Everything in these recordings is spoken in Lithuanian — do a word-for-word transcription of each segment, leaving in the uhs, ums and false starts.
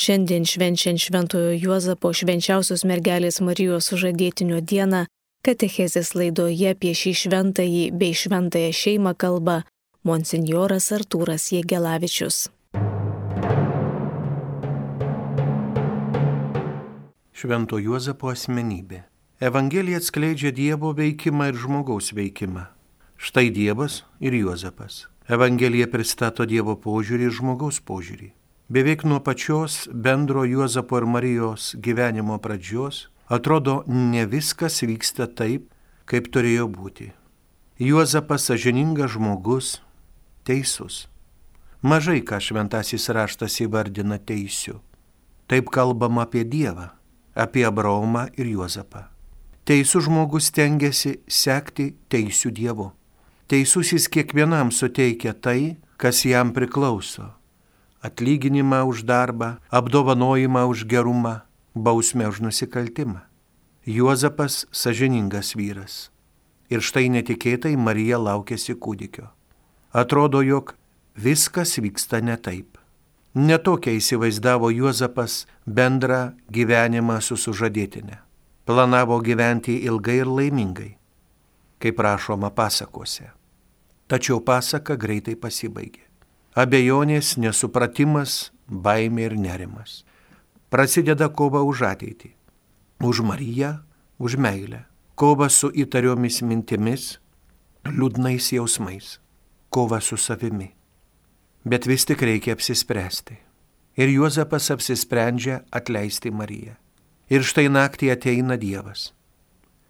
Šiandien švenčiant Šventojo Juozapo švenčiausios mergelės Marijos sužadėtinio dieną, katechezės laidoje apie šį šventąjį bei šventąją šeimą kalba monsinjoras Artūras Jegelavičius. Švento Juozapo asmenybė. Evangelija atskleidžia Dievo veikimą ir žmogaus veikimą. Štai Dievas ir Juozapas. Evangelija pristato Dievo požiūrį ir žmogaus požiūrį. Beveik nuo pačios bendro Juozapo ir Marijos gyvenimo pradžios atrodo, ne viskas vyksta taip, kaip turėjo būti. Juozapas sąžiningas žmogus, teisus. Mažai ką šventasis raštas įvardina teisiu. Taip kalbama apie Dievą, apie Abraomą ir Juozapą. Teisus žmogus stengiasi sekti teisiu Dievu. Teisusis kiekvienam suteikia tai, kas jam priklauso. Atlyginimą už darbą, apdovanojimą už gerumą, bausmę už nusikaltimą. Juozapas sąžiningas vyras. Ir štai netikėtai Marija laukėsi kūdikio. Atrodo, jog viskas vyksta ne taip. Netokia įsivaizdavo Juozapas bendrą gyvenimą su sužadėtine. Planavo gyventi ilgai ir laimingai, kaip rašoma pasakose. Tačiau pasaka greitai pasibaigė. Abejonės, nesupratimas, baimė ir nerimas. Prasideda kova už ateitį, už Mariją, už meilę. Kova su įtariomis mintimis, liūdnais jausmais. Kova su savimi. Bet vis tik reikia apsispręsti. Ir Juozapas apsisprendžia atleisti Mariją. Ir štai naktį ateina Dievas.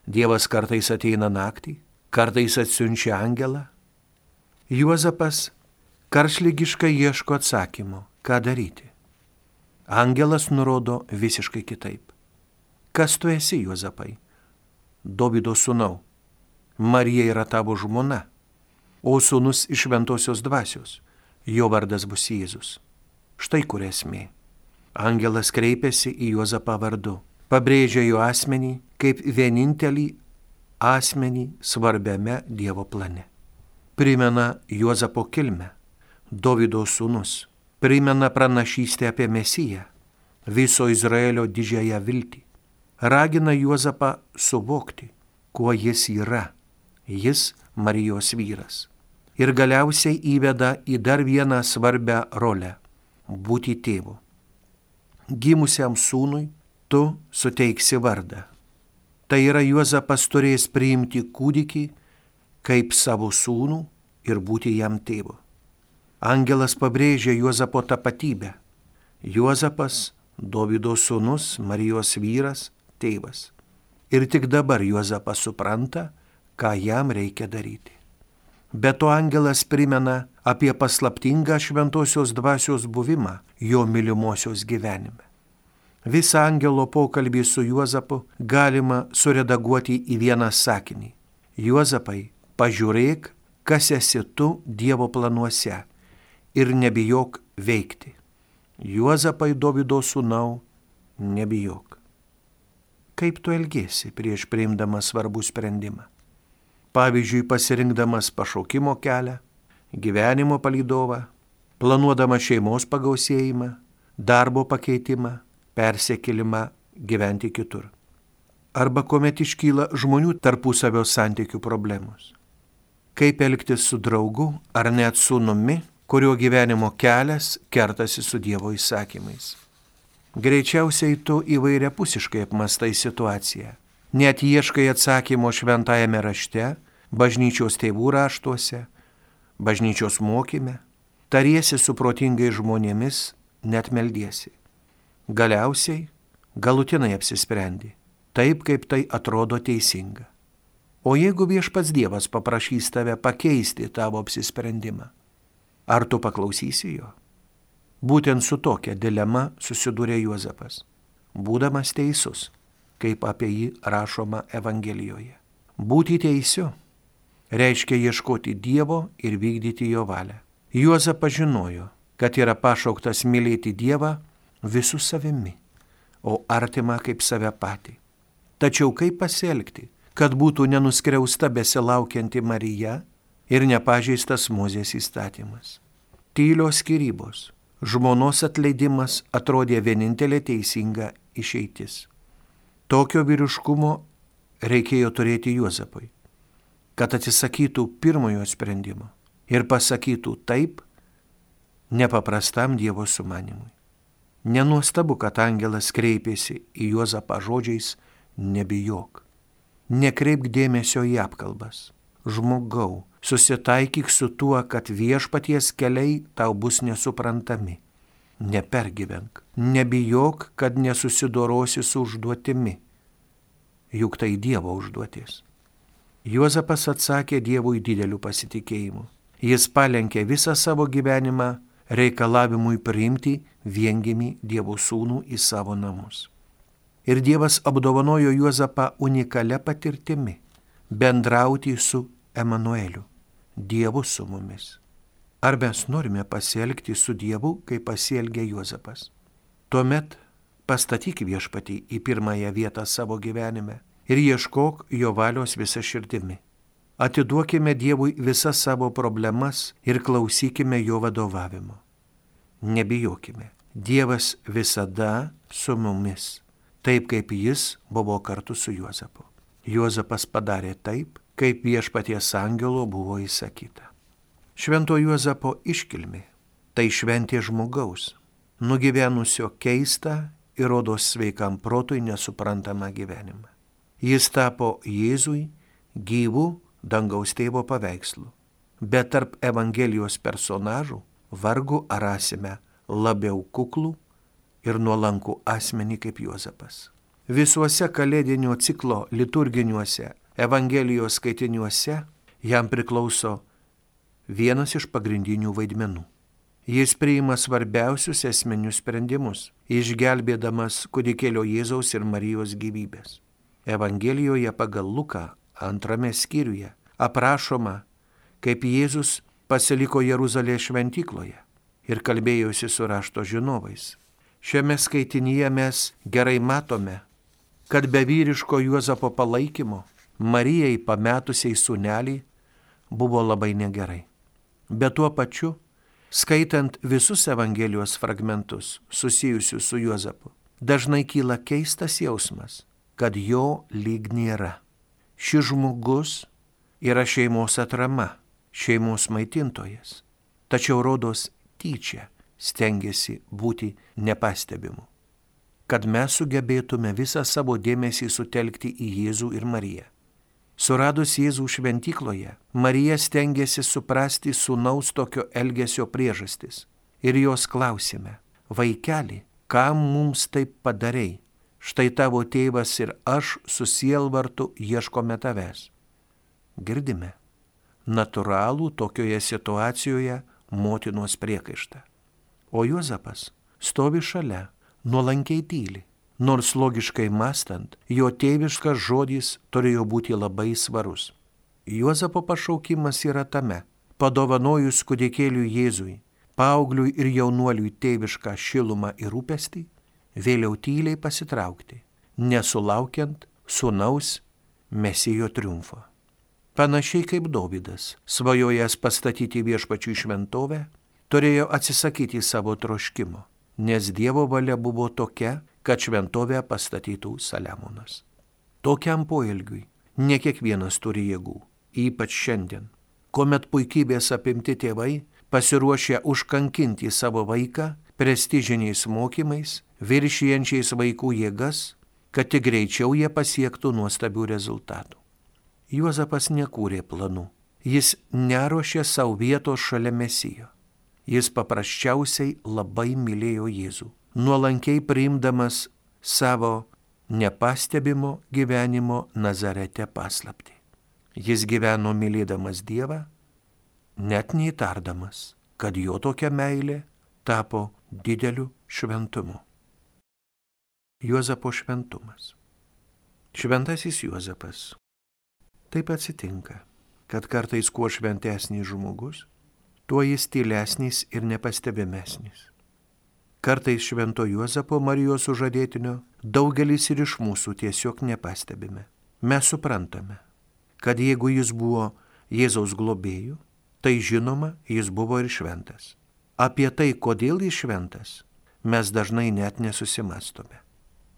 Dievas kartais ateina naktį, kartais atsiunčia angelą. Juozapas karštligiškai ieško atsakymo, ką daryti. Angelas nurodo visiškai kitaip. Kas tu esi, Juozapai? Dovydo sūnau. Marija yra tavo žmona, o sūnus iš šventosios dvasios. Jo vardas bus Jėzus. Štai kur esmė. Angelas kreipiasi į Juozapą vardu, pabrėžia jo asmenį kaip vienintelį asmenį svarbiame Dievo plane. Primena Juozapo kilmę. Dovydo sūnus, primena pranašystę apie Mesiją, viso Izraelio didžiąją viltį. Ragina Juozapą suvokti, kuo jis yra. Jis Marijos vyras. Ir galiausiai įveda į dar vieną svarbią rolę – būti tėvu. Gimusiam sūnui tu suteiksi vardą. Tai yra, Juozapas turės priimti kūdikį kaip savo sūnų ir būti jam tėvu. Angelas pabrėžia Juozapo tapatybę. Juozapas, Dovydo sūnus, Marijos vyras, tėvas. Ir tik dabar Juozapas supranta, ką jam reikia daryti. Be to angelas primena apie paslaptingą šventosios dvasios buvimą jo mylimosios gyvenime. Visą angelo pokalbį su Juozapu galima suredaguoti į vieną sakinį. Juozapai, pažiūrėk, kas esi tu Dievo planuose. Ir nebijok veikti. Juozapai, Dovydo sūnau, nebijok. Kaip tu elgiesi prieš priimdamas svarbų sprendimą? Pavyzdžiui, pasirinkdamas pašaukimo kelią, gyvenimo palydovą, planuodamas šeimos pagausėjimą, darbo pakeitimą, persikėlimą gyventi kitur. Arba kuomet iškyla žmonių tarpusavio santykių problemos. Kaip elgtis su draugu ar net sūnumi, kurio gyvenimo kelias kertasi su Dievo įsakymais. Greičiausiai tu įvairiapusiškai apmastai situaciją. Net ieškai atsakymo šventajame rašte, bažnyčios tėvų raštuose, bažnyčios mokyme, tariesi su protingais žmonėmis, net meldiesi. Galiausiai, galutinai apsisprendi, taip kaip tai atrodo teisinga. O jeigu viešpats Dievas paprašys tave pakeisti tavo apsisprendimą, ar tu paklausysi jo? Būtent su tokia dilema susidūrė Juozapas, būdamas teisus, kaip apie jį rašoma Evangelijoje. Būti teisiu reiškia ieškoti Dievo ir vykdyti jo valią. Juozapas žinojo, kad yra pašauktas mylėti Dievą visų savimi, o artimą kaip save patį. Tačiau kaip pasielgti, kad būtų nenuskriausta besilaukianti Marija ir nepažeistas Mozės įstatymas? Tylios skyrybos, žmonos atleidimas atrodė vienintelė teisinga išeitis. Tokio vyriškumo reikėjo turėti Juozapui, kad atsisakytų pirmojo sprendimo ir pasakytų taip nepaprastam Dievo sumanimui. Nenuostabu, kad angelas kreipėsi į Juozapą žodžiais nebijok. Nekreipk dėmesio į apkalbas. Žmogau, susitaikyk su tuo, kad viešpaties keliai tau bus nesuprantami. Nepergyvenk, nebijok, kad nesusidorosi su užduotimi. Juk tai Dievo užduotis. Juozapas atsakė Dievui dideliu pasitikėjimu. Jis palenkė visą savo gyvenimą reikalavimui priimti viengimį Dievo sūnų į savo namus. Ir Dievas apdovanojo Juozapą unikalia patirtimi bendrauti su Emanueliu, Dievu su mumis. Ar mes norime pasielgti su Dievu, kaip pasielgė Juozapas? Tuomet pastatyk viešpatį į pirmąją vietą savo gyvenime ir ieškok jo valios visą širdimi. Atiduokime Dievui visas savo problemas ir klausykime jo vadovavimo. Nebijokime, Dievas visada su mumis, taip kaip jis buvo kartu su Juozapu. Juozapas padarė taip, kaip viešpaties angelo buvo įsakyta. Švento Juozapo iškilmė – tai šventė žmogaus, nugyvenusio keistą ir rodos sveikam protui nesuprantamą gyvenimą. Jis tapo Jėzui gyvų dangaus tėvo paveikslu, bet tarp Evangelijos personažų vargu ar rasime labiau kuklų ir nuolankų asmenį kaip Juozapas. Visuose kalėdinio ciklo liturginiuose Evangelijos skaitiniuose jam priklauso vienas iš pagrindinių vaidmenų. Jis priima svarbiausius esminius sprendimus, išgelbėdamas kūdikėlio Jėzaus ir Marijos gyvybės. Evangelijoje pagal Luką antrame skyriuje aprašoma, kaip Jėzus pasiliko Jeruzalės šventykloje ir kalbėjosi su rašto žinovais. Šiame skaitinyje mes gerai matome, kad be vyriško Juozapo palaikymo Marijai pametusiai sūnelį buvo labai negerai. Bet tuo pačiu, skaitant visus Evangelijos fragmentus susijusius su Juozapu, dažnai kyla keistas jausmas, kad jo lyg nėra. Šis žmogus yra šeimos atrama, šeimos maitintojas, tačiau rodos tyčia stengiasi būti nepastebimu, kad mes sugebėtume visą savo dėmesį sutelkti į Jėzų ir Mariją. Suradus Jėzų šventykloje, Marija stengiasi suprasti sūnaus tokio elgesio priežastis ir jos klausime: vaikeli, kam mums taip padarei? Štai tavo tėvas ir aš su sielvartu ieškome tavęs. Girdime natūralų tokioje situacijoje motinos priekaištą. O Juozapas stovi šalia, nuolankiai tyli. Nors logiškai mąstant, jo tėviškas žodis turėjo būti labai svarus. Juozapo pašaukimas yra tame: padovanojus kūdikėliui Jėzui, paaugliui ir jaunuoliui tėvišką šilumą ir rūpestį, vėliau tyliai pasitraukti, nesulaukiant sūnaus Mesijo triumfo. Panašiai kaip Dovydas, svajojęs pastatyti viešpačiui šventovę, turėjo atsisakyti savo troškimo, nes Dievo valia buvo tokia, kad šventovę pastatytų Saliamonas. Tokiam poelgiui ne kiekvienas turi jėgų, ypač šiandien, kuomet puikybės apimti tėvai pasiruošę užkankinti savo vaiką prestižiniais mokymais, viršijančiais vaikų jėgas, kad tik greičiau jie pasiektų nuostabių rezultatų. Juozapas nekūrė planų, jis neruošė savo vietos šalia Mesijo. Jis paprasčiausiai labai mylėjo Jėzų, nuolankiai priimdamas savo nepastebimo gyvenimo Nazarete paslaptį. Jis gyveno mylėdamas Dievą, net neįtardamas, kad jo tokia meilė tapo dideliu šventumu. Juozapo šventumas. Šventasis Juozapas. Taip atsitinka, kad kartais kuo šventesnis žmogus, tuo jis tylesnis ir nepastebimesnis. Kartais švento Juozapo Marijos sužadėtinio daugelis ir iš mūsų tiesiog nepastebime. Mes suprantame, kad jeigu jis buvo Jėzaus globėju, tai žinoma, jis buvo ir šventas. apie tai, kodėl jis šventas, mes dažnai net nesusimastome.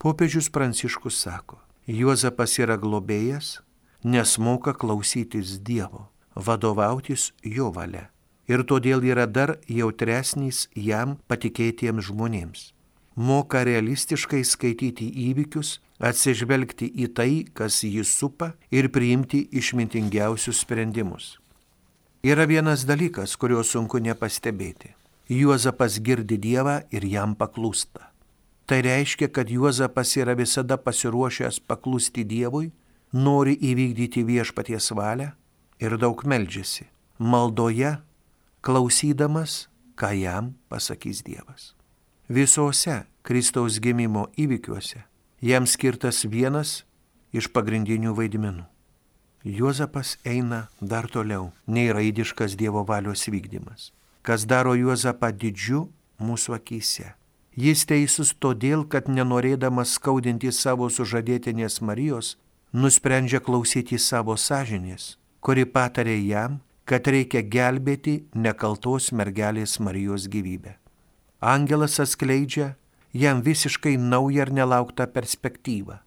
Popiežius Pranciškus sako, Juozapas yra globėjas, nes moka klausytis Dievo, vadovautis jo valia ir todėl yra dar jautresnis jam patikėtiems žmonėms. Moka realistiškai skaityti įvykius, atsižvelgti į tai, kas jį supa ir priimti išmintingiausius sprendimus. Yra vienas dalykas, kurio sunku nepastebėti. Juozapas girdi Dievą ir jam paklūsta. Tai reiškia, kad Juozapas yra visada pasiruošęs paklusti Dievui, nori įvykdyti viešpaties valią ir daug meldžiasi. Maldoje, klausydamas, ką jam pasakys Dievas. Visose Kristaus gimimo įvykiuose jam skirtas vienas iš pagrindinių vaidmenų. Juozapas eina dar toliau nei raidiškas Dievo valios vykdymas, kas daro Juozapą didžiu mūsų akyse. Jis teisus todėl, kad nenorėdamas skaudinti savo sužadėtinės Marijos, nusprendžia klausyti savo sąžinės, kuri patarė jam, kad reikia gelbėti nekaltos mergelės Marijos gyvybę. Angelas atskleidžia jam visiškai naują ir nelauktą perspektyvą,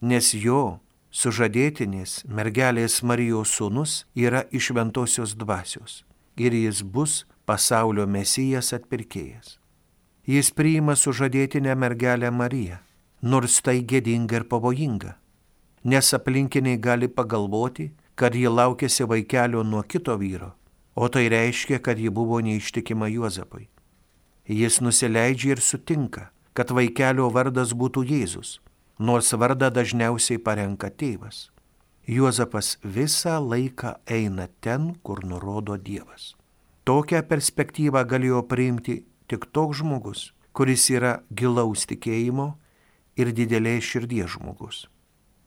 nes jo sužadėtinės mergelės Marijos sūnus yra iš šventosios dvasios ir jis bus pasaulio mesijas atpirkėjas. Jis priima sužadėtinę mergelę Mariją, nors tai gėdinga ir pavojinga, nes aplinkiniai gali pagalvoti, kad ji laukėsi vaikelio nuo kito vyro, o tai reiškia, kad ji buvo neištikima Juozapui. Jis nusileidžia ir sutinka, kad vaikelio vardas būtų Jėzus, nors vardą dažniausiai parenka tėvas. Juozapas visą laiką eina ten, kur nurodo Dievas. Tokią perspektyvą galėjo priimti tik toks žmogus, kuris yra gilaus tikėjimo ir didelės širdies žmogus.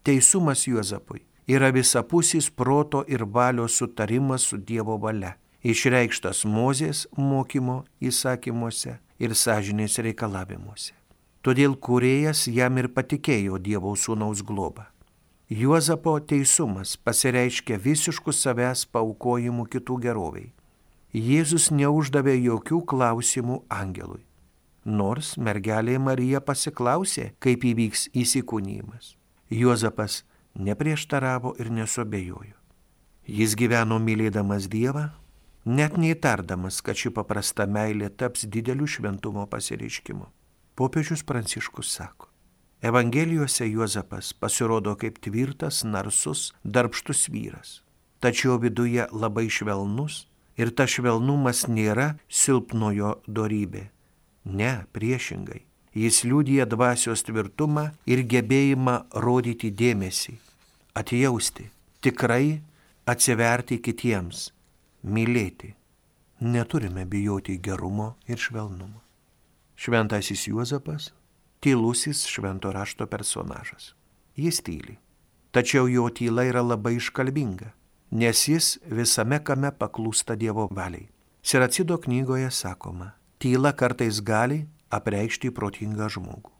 Teisumas Juozapui yra visapusis proto ir valios sutarimas su Dievo valia, išreikštas Mozės mokymo įsakymuose ir sąžinės reikalavimuose. Todėl kūrėjas jam ir patikėjo Dievo sūnaus globą. Juozapo teisumas pasireiškia visišku savęs paaukojimu kitų geroviai. Jėzus neuždavė jokių klausimų angelui, nors mergelė Marija pasiklausė, kaip įvyks įsikūnijimas. Juozapas neprieštaravo ir nesuabejojo. Jis gyveno mylėdamas Dievą, net neįtardamas, kad ši paprasta meilė taps dideliu šventumo pasireiškimu. Popiežius Pranciškus sako, Evangelijose Juozapas pasirodo kaip tvirtas, narsus, darbštus vyras, tačiau viduje labai švelnus ir tas švelnumas nėra silpnojo dorybė. Ne, priešingai. Jis liudija dvasios tvirtumą ir gebėjimą rodyti dėmesį, atjausti, tikrai atsiverti kitiems, mylėti. Neturime bijoti gerumo ir švelnumo. Šventasis Juozapas – tylusis švento rašto personažas. Jis tyli, tačiau jo tyla yra labai iškalbinga, nes jis visame kame paklūsta Dievo valiai. Siracido knygoje sakoma, tyla kartais gali apreikšti protingą žmogų.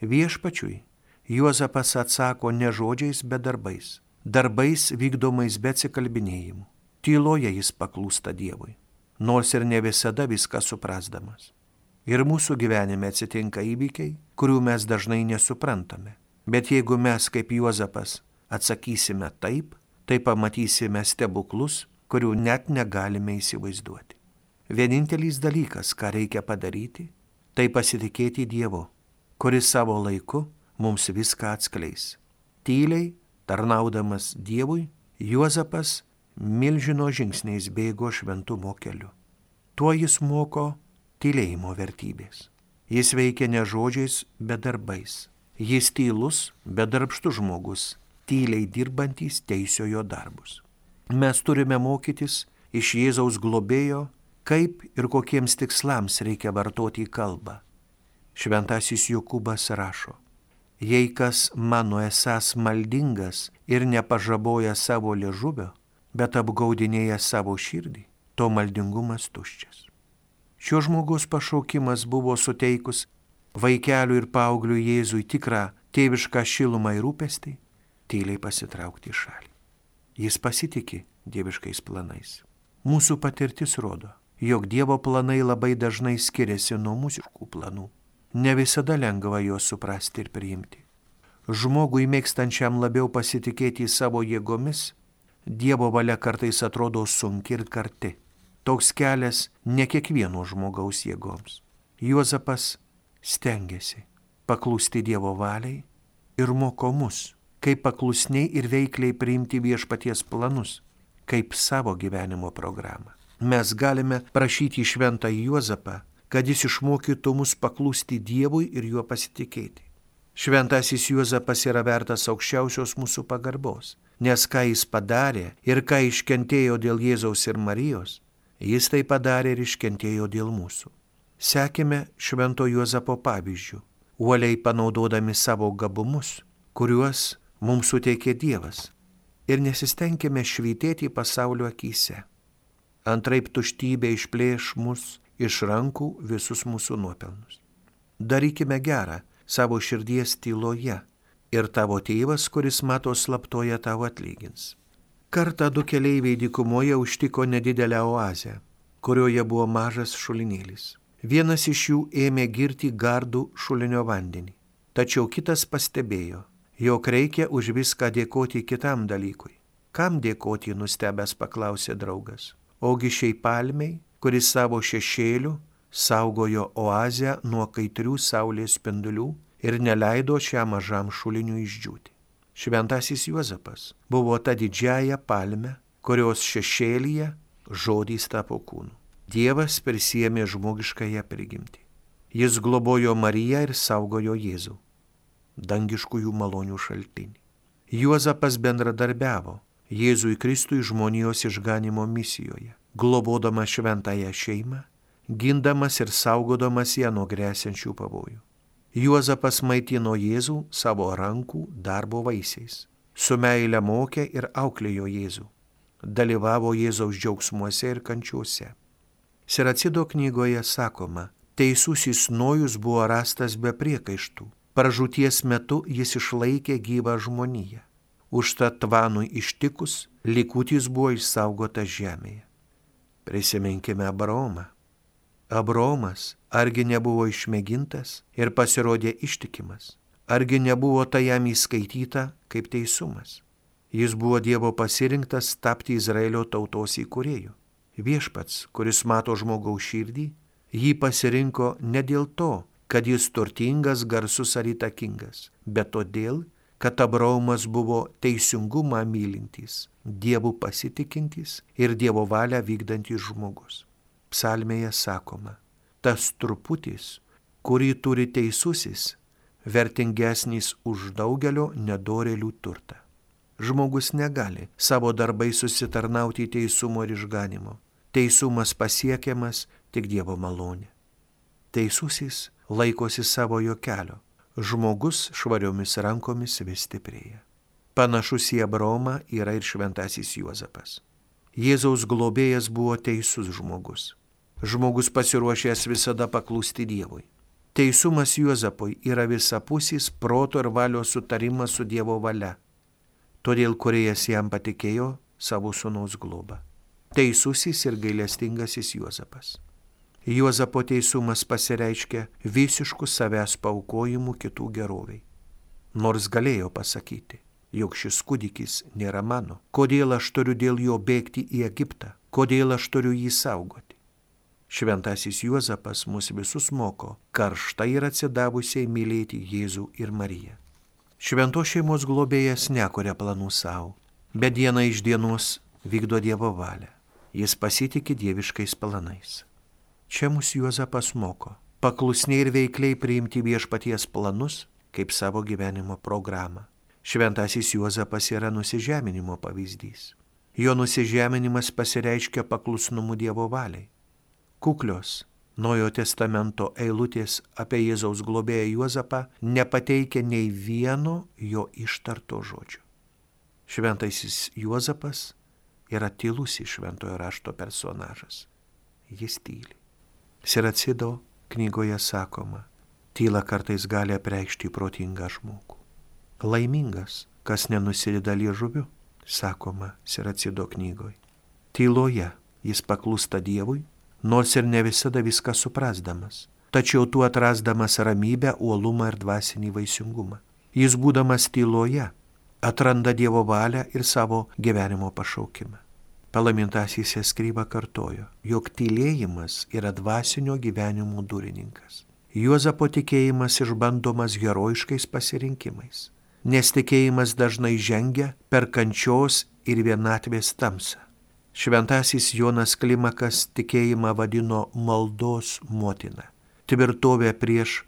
Viešpačiui Juozapas atsako ne žodžiais, bet darbais, darbais vykdomais be atsikalbinėjimų. Tyloje jis paklūsta Dievui, nors ir ne visada viską suprasdamas. Ir mūsų gyvenime atsitinka įvykiai, kurių mes dažnai nesuprantame. Bet jeigu mes kaip Juozapas atsakysime taip, tai pamatysime stebuklus, kurių net negalime įsivaizduoti. Vienintelis dalykas, ką reikia padaryti, tai pasitikėti Dievu, kuris savo laiku mums viską atskleis. Tyliai, tarnaudamas Dievui, Juozapas milžino žingsniais bėgo šventumo keliu. Tuo jis moko tylėjimo vertybės. Jis veikia ne žodžiais, bet darbais. Jis tylus, bet darbštus žmogus, tyliai dirbantis teisiojo darbus. Mes turime mokytis iš Jėzaus globėjo, kaip ir kokiems tikslams reikia vartoti kalbą. Šventasis Jokūbas rašo, jei kas mano esąs maldingas ir nepažaboja savo liežuvio, bet apgaudinėja savo širdį, to maldingumas tuščias. Šio žmogaus pašaukimas buvo suteikus vaikeliui ir paaugliui Jėzui tikrą tėvišką šilumą ir rūpestį, tyliai pasitraukti į šalį. Jis pasitikė dieviškais planais. Mūsų patirtis rodo, jog Dievo planai labai dažnai skiriasi nuo mūsų planų. Ne visada lengva juos suprasti ir priimti. Žmogui mėgstančiam labiau pasitikėti savo jėgomis, Dievo valia kartais atrodo sunki ir karti. Toks kelias ne kiekvieno žmogaus jėgoms. Juozapas stengiasi paklusti Dievo valiai ir moko mus, kaip paklusniai ir veikliai priimti viešpaties planus, kaip savo gyvenimo programą. Mes galime prašyti šventą Juozapą, kad jis išmokytų mus paklusti Dievui ir juo pasitikėti. Šventasis Juozapas yra vertas aukščiausios mūsų pagarbos, nes ką jis padarė ir ką iškentėjo dėl Jėzaus ir Marijos, jis tai padarė ir iškentėjo dėl mūsų. Sekime švento Juozapo pavyzdžių, uoliai panaudodami savo gabumus, kuriuos mums suteikė Dievas, ir nesistengime švytėti pasaulio akyse. Antraip tuštybė išplėš mus iš rankų visus mūsų nuopelnus. Darykime gerą savo širdies tyloje ir tavo tėvas, kuris mato slaptoje, tau atlygins. Kartą du keleiviai dykumoje užtiko nedidelę oazę, kurioje buvo mažas šulinėlis. Vienas iš jų ėmė girti gardų šulinio vandenį, tačiau kitas pastebėjo, jog reikia už viską dėkoti kitam dalykui. Kam dėkoti, nustebęs paklausė draugas. Ogi šiai palmei, kuris savo šešėliu saugojo oazę nuo kaitrių saulės spindulių ir neleido šiam mažam šuliniui išdžiūti. Šventasis Juozapas buvo ta didžiaja palme, kurios šešėlyje žodys tapo kūnu. Dievas prisiėmė žmogiškąją prigimtį. Jis globojo Mariją ir saugojo Jėzų, dangiškųjų malonių šaltinį. Juozapas bendradarbiavo Jėzui Kristui žmonijos išganimo misijoje, globodamas šventąją šeimą, gindamas ir saugodamas ją nuo gresiančių pavojų. Juozapas maitino Jėzų savo rankų darbo vaisiais, su meile mokė ir auklėjo Jėzų, dalyvavo Jėzaus džiaugsmuose ir kančiuose. Siracido knygoje sakoma, teisusis Nojus buvo rastas be priekaištų, pražūties metu jis išlaikė gyvą žmoniją. Užtat Tvanui ištikus, likutis buvo išsaugotas žemėje. Prisiminkime Abraomą. Abraomas argi nebuvo išmėgintas ir pasirodė ištikimas, argi nebuvo tai jam įskaityta kaip teisumas. Jis buvo Dievo pasirinktas tapti Izraelio tautos įkūrėju. Viešpats, kuris mato žmogaus širdį, jį pasirinko ne dėl to, kad jis turtingas, garsus ar įtakingas, bet todėl, kad Abraomas buvo teisingumą mylintis, Dievu pasitikintis ir Dievo valią vykdantis žmogus. Psalmėje sakoma, tas truputis, kurį turi teisusis, vertingesnis už daugelio nedorėlių turtą. Žmogus negali savo darbai susitarnauti teisumo ir išganimo. Teisumas pasiekiamas tik Dievo malonė. Teisusis laikosi savojo kelio. Žmogus švariomis rankomis vis stiprėja. Panašus į Abraomą yra ir šventasis Juozapas. Jėzaus globėjas buvo teisus žmogus. Žmogus pasiruošęs visada paklusti Dievui. Teisumas Juozapui yra visapusis proto ir valios sutarimas su Dievo valia. Todėl kūrėjas jam patikėjo savo sūnaus globą. Teisusis ir gailestingasis Juozapas. Juozapo teisumas pasireiškia visišku savęs paukojimu kitų geroviai. Nors galėjo pasakyti, jog šis kūdikis nėra mano, kodėl aš turiu dėl jo bėgti į Egiptą, kodėl aš turiu jį saugoti. Šventasis Juozapas mus visus moko karštai ir atsidavusiai mylėti Jėzų ir Mariją. Šventos šeimos globėjas nekuria planų savo, bet diena iš dienos vykdo Dievo valią. Jis pasitikė dieviškais planais. Čia mus Juozapas moko paklusniai ir veikliai priimti viešpaties planus kaip savo gyvenimo programą. Šventasis Juozapas yra nusižeminimo pavyzdys. Jo nusižeminimas pasireiškia paklusnumu Dievo valiai. Kuklios Naujojo testamento eilutės apie Jėzaus globėją Juozapą nepateikia nei vieno jo ištarto žodžio. Šventasis Juozapas yra tylusis šventojo rašto personažas. Jis tyli. Siracido knygoje sakoma, tyla kartais gali apreikšti protingą žmogų. Laimingas, kas nenusideda liežuviu, sakoma Siracido knygoje. Tyloje jis paklūsta Dievui, nors ir ne visada viską suprasdamas, tačiau tu atrasdamas ramybę, uolumą ir dvasinį vaisingumą. Jis būdamas tyloje atranda Dievo valią ir savo gyvenimo pašaukimą. Palaimintasis Eskryba kartojo, jog tylėjimas yra dvasinio gyvenimo durininkas. Juozapo tikėjimas išbandomas herojiškais pasirinkimais, nes tikėjimas dažnai žengia per kančios ir vienatvės tamsą. Šventasis Jonas Klimakas tikėjimą vadino maldos motina, tvirtovė prieš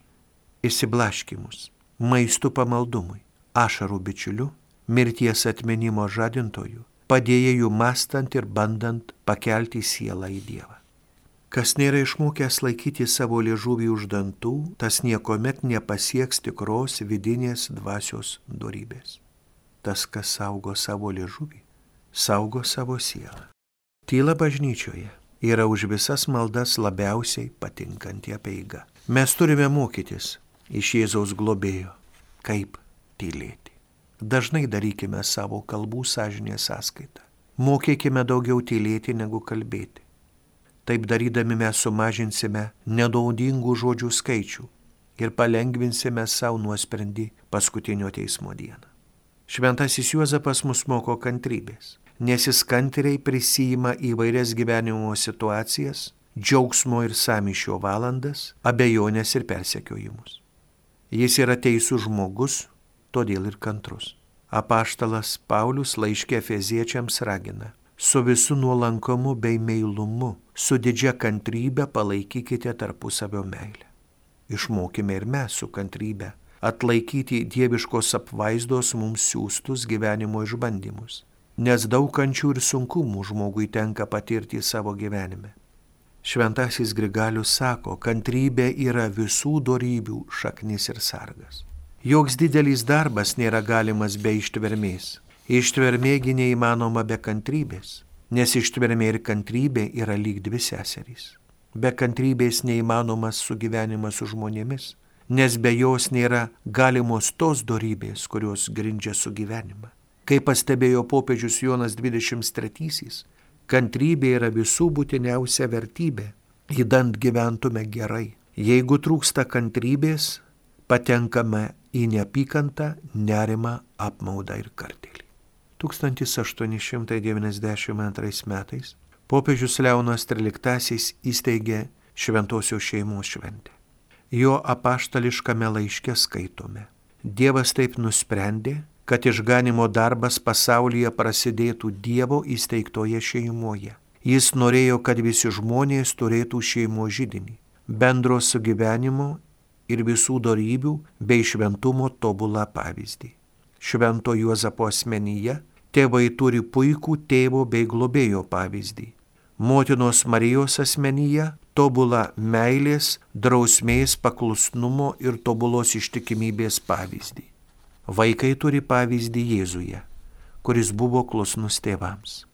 išsiblaškymus, maistų pamaldumui, ašarų bičiuliu, mirties atminimo žadintojų, padėjėjų mąstant ir bandant pakelti sielą į Dievą. Kas nėra išmokęs laikyti savo liežuvį už dantų, tas niekuomet nepasieks tikros vidinės dvasios dorybės. Tas, kas saugo savo liežuvį, saugo savo sielą. Tyla bažnyčioje yra už visas maldas labiausiai patinkanti apeiga. Mes turime mokytis iš Jėzaus globėjo, kaip tylėti. Dažnai darykime savo kalbų sąžinės sąskaitą. Mokėkime daugiau tylėti negu kalbėti. Taip darydami mes sumažinsime nenaudingų žodžių skaičių ir palengvinsime savo nuosprendį paskutinio teismo dieną. Šventasis Juozapas mus moko kantrybės, nes jis kantriai prisijima įvairias gyvenimo situacijas, džiaugsmo ir sąmyšio valandas, abejonės ir persekiojimus. Jis yra teisus žmogus, todėl ir kantrus. Apaštalas Paulius laiške Efeziečiams ragina: su visu nuolankumu bei meilumu, su didžia kantrybe palaikykite tarpusavio meilę. Išmokime ir mes su kantrybe atlaikyti dieviškos apvaizdos mums siūstus gyvenimo išbandymus, nes daug kančių ir sunkumų žmogui tenka patirti savo gyvenime. Šventasis Grigalius sako, kantrybė yra visų dorybių šaknis ir sargas. Joks didelis darbas nėra galimas be ištvermės. Ištvermėgi neįmanoma be kantrybės, nes ištvermė ir kantrybė yra lyg dvi seserys. Be kantrybės neįmanomas sugyvenimas su žmonėmis, nes be jos nėra galimos tos dorybės, kurios grindžia sugyvenimą. Kaip pastebėjo popiežius Jonas dvidešimt trečiasis, kantrybė yra visų būtiniausia vertybė, įdant gyventume gerai. Jeigu trūksta kantrybės, patenkame į neapykantą, nerimą, apmaudą ir kartėlį. tūkstantis aštuoni šimtai devyniasdešimt antrais metais popiežius Leonas tryliktasis įsteigė Šventosios šeimos šventę. Jo apaštališkame laiške skaitome: Dievas taip nusprendė, kad išganimo darbas pasaulyje prasidėtų Dievo įsteigtoje šeimoje. Jis norėjo, kad visi žmonės turėtų šeimos židinį, bendro sugyvenimo ir visų dorybių bei šventumo tobulą pavyzdį. Švento Juozapo asmenyje tėvai turi puikų tėvo bei globėjo pavyzdį. Motinos Marijos asmenyje tobulą meilės, drausmės, paklusnumo ir tobulos ištikimybės pavyzdį. Vaikai turi pavyzdį Jėzuje, kuris buvo klusnus tėvams.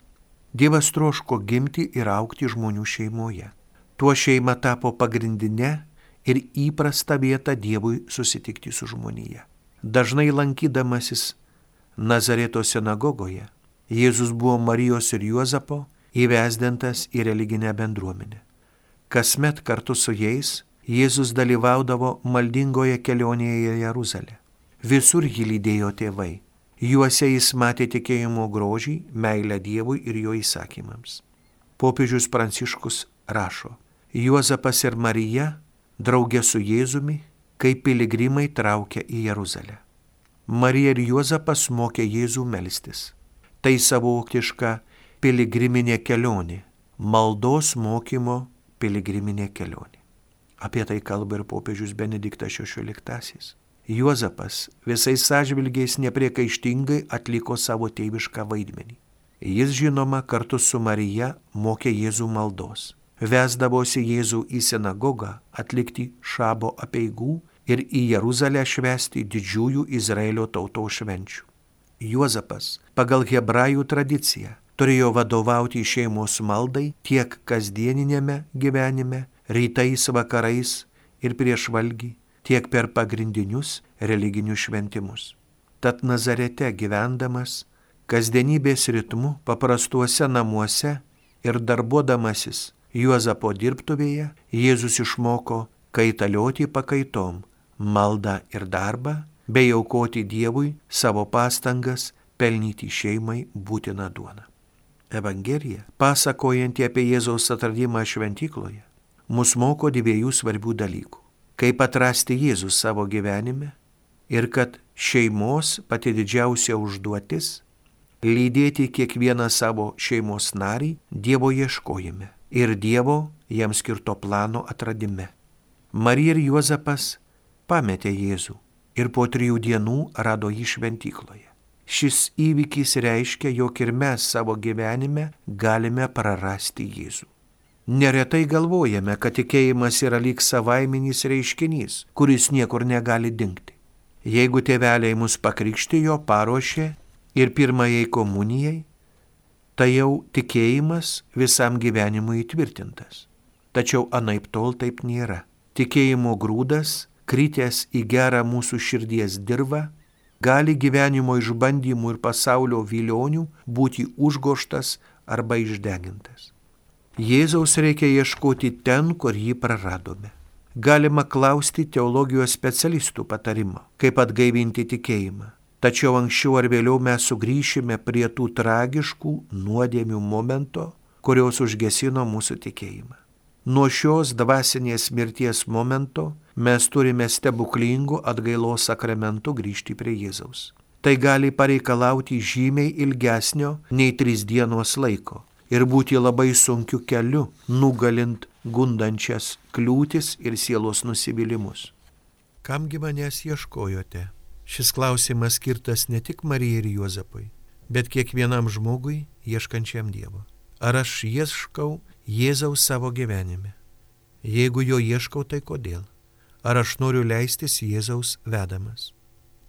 Dievas troško gimti ir augti žmonių šeimoje. Tuo šeima tapo pagrindinė ir įprasta vieta Dievui susitikti su žmonija. Dažnai lankydamasis Nazareto sinagogoje, Jėzus buvo Marijos ir Juozapo įvesdintas į religinę bendruomenę. Kasmet kartu su jais Jėzus dalyvaudavo maldingoje kelionėje į Jeruzalę. Visur jį lydėjo tėvai. Juose jis matė tikėjimo grožį, meilę Dievui ir jo įsakymams. Popiežius Pranciškus rašo: Juozapas ir Marija draugė su Jėzumi, kaip piligrimai traukia į Jeruzalę. Marija ir Juozapas mokė Jėzų melstis. Tai savotiška piligriminė kelionė, maldos mokymo piligriminė kelionė. Apie tai kalba ir popiežius Benediktas šešioliktasis. Juozapas visais atžvilgiais nepriekaištingai atliko savo tėvišką vaidmenį. Jis, žinoma, kartu su Marija mokė Jėzų maldos. Vesdavosi Jėzų į sinagogą atlikti šabo apeigų ir į Jeruzalę švęsti didžiųjų Izraelio tautos švenčių. Juozapas pagal hebrajų tradiciją turėjo vadovauti šeimos maldai tiek kasdieninėme gyvenime, rytais, vakarais ir prieš valgį, tiek per pagrindinius religinius šventimus. Tad Nazarete gyvendamas, kasdienybės ritmu, paprastuose namuose ir darbuodamasis, Juozapo dirbtuvėje Jėzus išmoko kaitalioti pakaitom, maldą ir darbą, bei aukoti Dievui savo pastangas pelnyti šeimai būtiną duoną. Evangelija, pasakojanti apie Jėzaus atradimą šventykloje, mus moko dviejų svarbių dalykų. Kaip atrasti Jėzų savo gyvenime ir kad šeimos pati didžiausia užduotis – lydėti kiekvieną savo šeimos narį Dievo ieškojime ir Dievo jam skirto plano atradime. Marija ir Juozapas pametė Jėzų ir po trijų dienų rado jį šventykloje. Šis įvykis reiškia, jog ir mes savo gyvenime galime prarasti Jėzų. Neretai galvojame, kad tikėjimas yra lyg savaiminis reiškinys, kuris niekur negali dingti. Jeigu tėveliai mus pakrikštijo, paruošė ir pirmajai komunijai, tai jau tikėjimas visam gyvenimui įtvirtintas. Tačiau anaiptol taip nėra. Tikėjimo grūdas, kritęs į gerą mūsų širdies dirvą, gali gyvenimo išbandymų ir pasaulio vilionių būti užgoštas arba išdegintas. Jėzaus reikia ieškoti ten, kur jį praradome. Galima klausti teologijos specialistų patarimo, kaip atgaivinti tikėjimą. Tačiau anksčiau ar vėliau mes sugrįšime prie tų tragiškų nuodėmių momento, kurios užgesino mūsų tikėjimą. Nuo šios dvasinės mirties momento mes turime stebuklingų atgailos sakramentų grįžti prie Jėzaus. Tai gali pareikalauti žymiai ilgesnio nei tris dienos laiko ir būti labai sunkiu keliu, nugalint gundančias kliūtis ir sielos nusivylimus. Kamgi manęs ieškojote? Šis klausimas skirtas ne tik Marijai ir Juozapui, bet kiekvienam žmogui ieškančiam Dievo. Ar aš ieškau Jėzaus savo gyvenime? Jeigu jo ieškau, tai kodėl? Ar aš noriu leistis Jėzaus vedamas?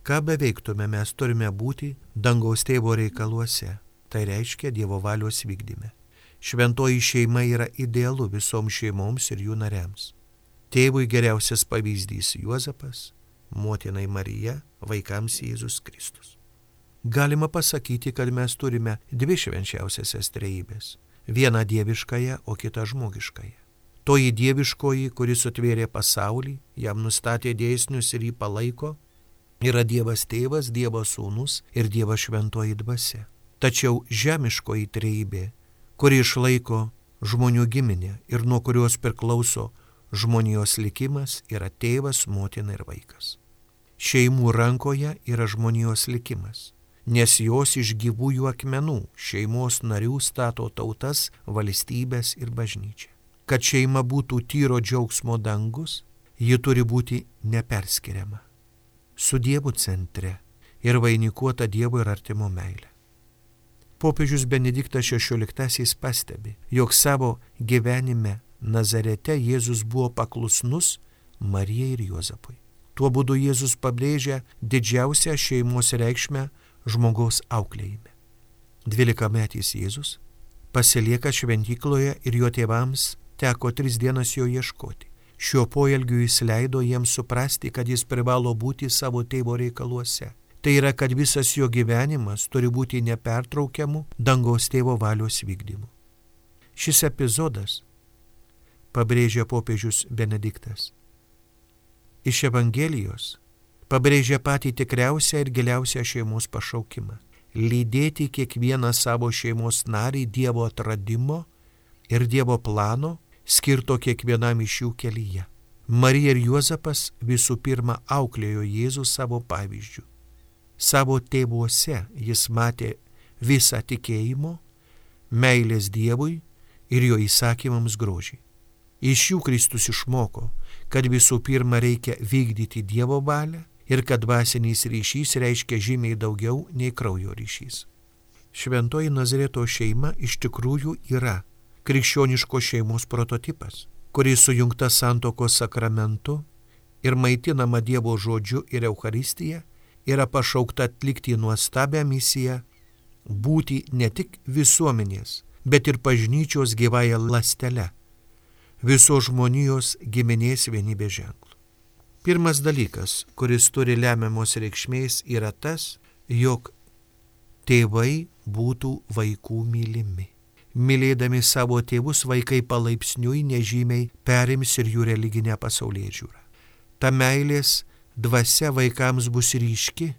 Ką beveiktume, mes turime būti dangaus tėvo reikaluose. Tai reiškia Dievo valios vykdyme. Šventoji šeima yra idealu visoms šeimoms ir jų nariams. Tėvui geriausias pavyzdys Juozapas, motinai Marija, vaikams Jėzus Kristus. Galima pasakyti, kad mes turime dvi švenčiausiasias trejybės. Vieną dieviškąją, o kitą žmogiškąją. Toji dieviškoji, kuris sutvėrė pasaulį, jam nustatė dėsnius ir jį palaiko, yra Dievas tėvas, Dievas sūnus ir Dievas šventoji dvasia. Tačiau žemiškoji trejybė, kuri išlaiko žmonių giminę ir nuo kurios priklauso žmonijos likimas, yra tėvas, motina ir vaikas. Šeimų rankoje yra žmonijos likimas, nes jos iš gyvųjų akmenų šeimos narių stato tautas, valstybės ir bažnyčią. Kad šeima būtų tyro džiaugsmo dangus, ji turi būti neperskiriama, su Dievu centre ir vainikuota Dievo ir artimo meilė. Popiežius Benediktas šešioliktasis pastebi, jog savo gyvenime Nazarete Jėzus buvo paklusnus Marijai ir Juozapui. Tuo būdu Jėzus pabrėžia didžiausią šeimos reikšmę žmogaus auklėjime. Dvylikametis Jėzus pasilieka šventykloje ir jo tėvams teko tris dienas jo ieškoti. Šiuo poelgiu jis leido jiems suprasti, kad jis privalo būti savo tėvo reikaluose. Tai yra, kad visas jo gyvenimas turi būti nepertraukiamų dangaus tėvo valios vykdymu. Šis epizodas, pabrėžia popiežius Benediktas, iš Evangelijos pabrėžia patį tikriausią ir giliausią šeimos pašaukimą – lydėti kiekvieną savo šeimos narį Dievo atradimo ir Dievo plano, skirto kiekvienam iš jų kelyje. Marija ir Juozapas visų pirma auklėjo Jėzų savo pavyzdžių. Savo tėvuose jis matė visą tikėjimo, meilės Dievui ir jo įsakymams grožį. Iš jų Kristus išmoko, kad visų pirma reikia vykdyti Dievo valią ir kad dvasinis ryšys reiškia žymiai daugiau nei kraujo ryšys. Šventoji Nazareto šeima iš tikrųjų yra krikščioniško šeimos prototipas, kuris sujungta santuokos sakramentu ir maitinama Dievo žodžiu ir Eucharistija, yra pašaukta atlikti nuostabią misiją, būti ne tik visuomenės, bet ir bažnyčios gyvąja ląstele, visos žmonijos giminės vienybės ženklu. Pirmas dalykas, kuris turi lemiamos reikšmės, yra tas, jog tėvai būtų vaikų mylimi. Mylėdami savo tėvus, vaikai palaipsniui nežymiai perims ir jų religinę pasaulėžiūrą. Ta meilės dvasia vaikams bus ryški,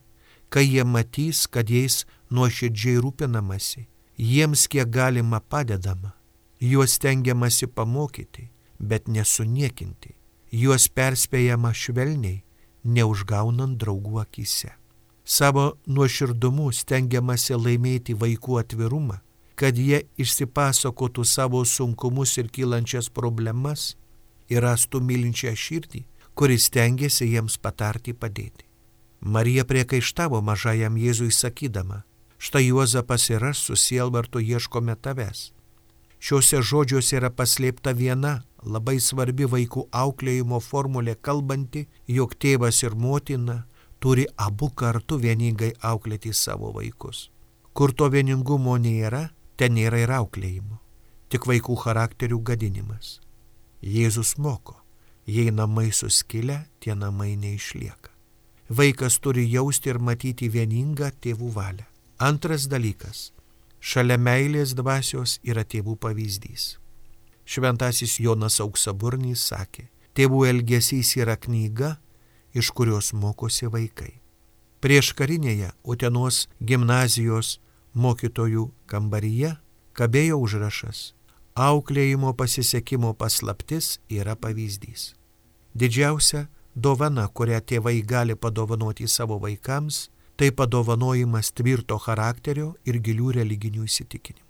kai jie matys, kad jais nuoširdžiai rūpinamasi, jiems kiek galima padedama, juos stengiamasi pamokyti, bet nesuniekinti, juos perspėjama švelniai, neužgaunant draugų akyse. Savo nuoširdumu stengiamasi laimėti vaikų atvirumą, kad jie išsipasakotų savo sunkumus ir kylančias problemas ir rastų mylinčią širdį, kuris stengiasi jiems patarti padėti. Marija priekaištavo mažajam Jėzui sakydama, štai Juozapas ir aš su sielvartu ieškome tavęs. Šiuose žodžiuose yra paslėpta viena labai svarbi vaikų auklėjimo formulė, kalbanti, jog tėvas ir motina turi abu kartu vieningai auklėti savo vaikus. Kur to vieningumo nėra, ten nėra ir auklėjimo, tik vaikų charakterių gadinimas. Jėzus moko, jei namai suskilę, tie namai neišlieka. Vaikas turi jausti ir matyti vieningą tėvų valią. Antras dalykas. Šalia meilės dvasios yra tėvų pavyzdys. Šventasis Jonas Auksaburnys sakė, tėvų elgesys yra knyga, iš kurios mokosi vaikai. Prieškarinėje Utenos gimnazijos mokytojų kambaryje kabėjo užrašas, auklėjimo pasisekimo paslaptis yra pavyzdys. Didžiausia dovana, kurią tėvai gali padovanoti savo vaikams, tai padovanojimas tvirto charakterio ir gilių religinių įsitikinimų.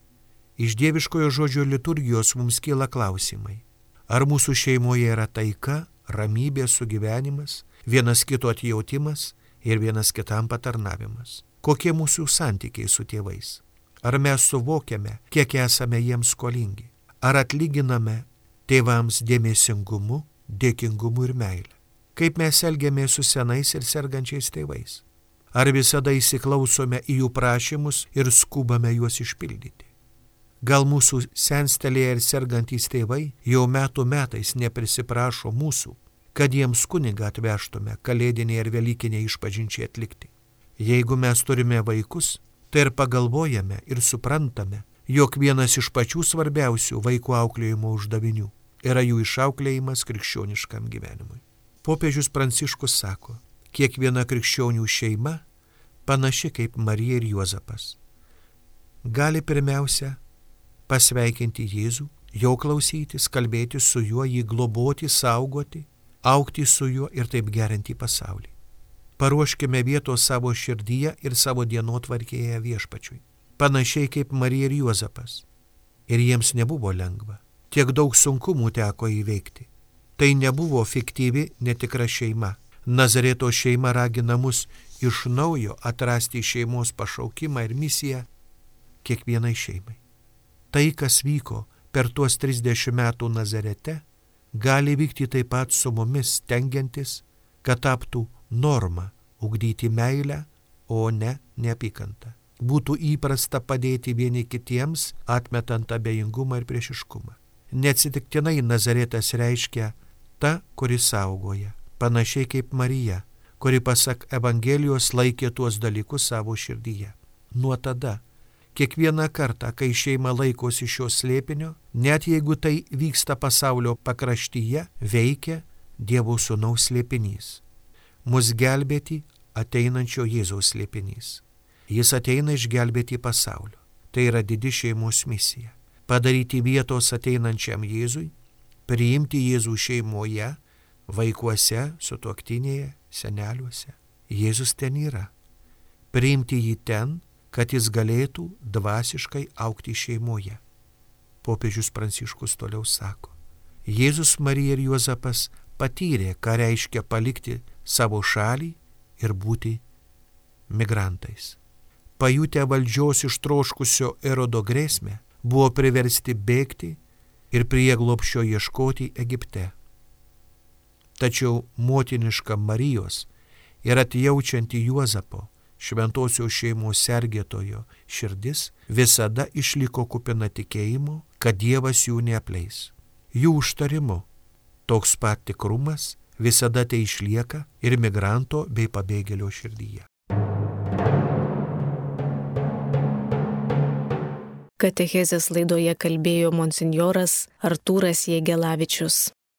Iš dieviškojo žodžio liturgijos mums kyla klausimai. Ar mūsų šeimoje yra taika, ramybė, sugyvenimas, vienas kito atjautimas ir vienas kitam patarnavimas? Kokie mūsų santykiai su tėvais? Ar mes suvokiame, kiek esame jiems skolingi? Ar atlyginame tėvams dėmesingumu, dėkingumu ir meilę? Kaip mes elgiamės su senais ir sergančiais tėvais? Ar visada įsiklausome į jų prašymus ir skubame juos išpildyti? Gal mūsų senstelėje ir sergantys tėvai jau metų metais neprisiprašo mūsų, kad jiems kunigą atvežtume kalėdinė ir velykinė išpažinčiai atlikti? Jeigu mes turime vaikus, tai ir pagalvojame ir suprantame, jog vienas iš pačių svarbiausių vaikų auklėjimo uždavinių yra jų išauklėjimas krikščioniškam gyvenimui. Popiežius Pranciškus sako, kiekviena krikščionių šeima panaši kaip Marija ir Juozapas. Gali pirmiausia pasveikinti Jėzų, jo klausytis, kalbėti su juo, jį globoti, saugoti, augti su juo ir taip gerinti pasaulį. Paruoškime vietos savo širdyje ir savo dienotvarkėje viešpačiui. Panašiai kaip Marija ir Juozapas. Ir jiems nebuvo lengva. Tiek daug sunkumų teko įveikti. Tai nebuvo fiktyvi, netikra šeima. Nazareto šeima ragina mus iš naujo atrasti šeimos pašaukimą ir misiją kiekvienai šeimai. Tai, kas vyko per tuos trisdešimt metų Nazarete, gali vykti taip pat su mumis, stengiantis, kad taptų norma ugdyti meilę, o ne neapykantą. Būtų įprasta padėti vieni kitiems, atmetant abejingumą ir priešiškumą. Neatsitiktinai Nazaretas reiškia ta, kuri saugoja, panašiai kaip Marija, kuri pasak Evangelijos laikė tuos dalykus savo širdyje. Nuo tada, kiekvieną kartą, kai šeima laikosi šio slėpinio, net jeigu tai vyksta pasaulio pakraštyje, veikia Dievo Sūnaus slėpinys. Mus gelbėti ateinančio Jėzaus slėpinys. Jis ateina išgelbėti pasaulio. Tai yra didi šeimos misija. Padaryti vietos ateinančiam Jėzui, priimti Jėzų šeimoje, vaikuose, sutuoktinėje, seneliuose. Jėzus ten yra. Priimti jį ten, kad jis galėtų dvasiškai augti šeimoje. Popiežius Pranciškus toliau sako, Jėzus, Marija ir Juozapas patyrė, ką reiškia palikti savo šalį ir būti migrantais. Pajutę valdžios ištroškusio Erodo grėsmę, buvo priversti bėgti ir prieglobsčio ieškoti Egipte. Tačiau motiniška Marijos ir atjaučianti Juozapo, šventosios šeimos sergėtojo širdis visada išliko kupina tikėjimo, kad Dievas jų neapleis. Jų užtarimu toks pat tikrumas visada tai išlieka ir migranto bei pabėgėlio širdyje. katechezės laidoje kalbėjo monsinjoras Artūras Jėgelavičius.